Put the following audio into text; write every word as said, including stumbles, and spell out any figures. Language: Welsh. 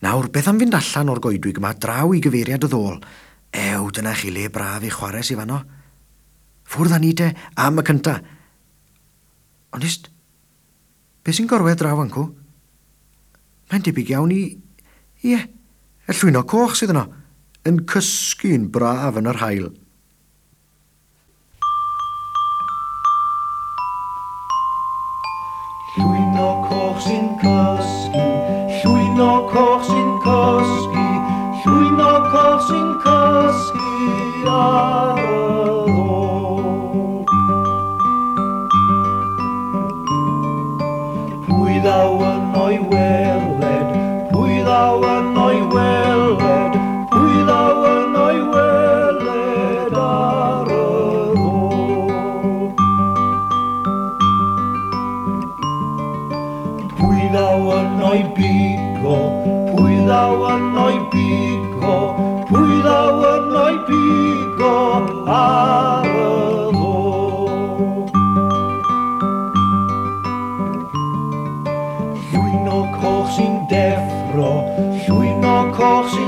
Nawr, beth am fynd allan o'r goedwig yma draw i gyfeiriad y ddôl? Ew, dyna chi le braf i chwarae sy fanno. Ffwrdd â ni te, am y cynta. Ond ist, be sy'n gorwedd draw fancw? Mae'n debyg iawn i... Ie, y llwynog coch sydd yno, yn cysgu'n braf yn yr haul. Llwynog coch sy'n cysgu, llwynog coch sy'n cysgu, llwynog coch sy'n cysgu ar y ddôl. Pwy ddaw yno i weled, pwy ddaw yno i weled, pwy ddaw yno i weled ar y ddôl. Pwy ddaw yno i bigo, pwy ddaw yno i bigo, pwy ddaw yno i bigo ar y ddôl. Llwynog coch sy'n deffro, llwynog coch sy'n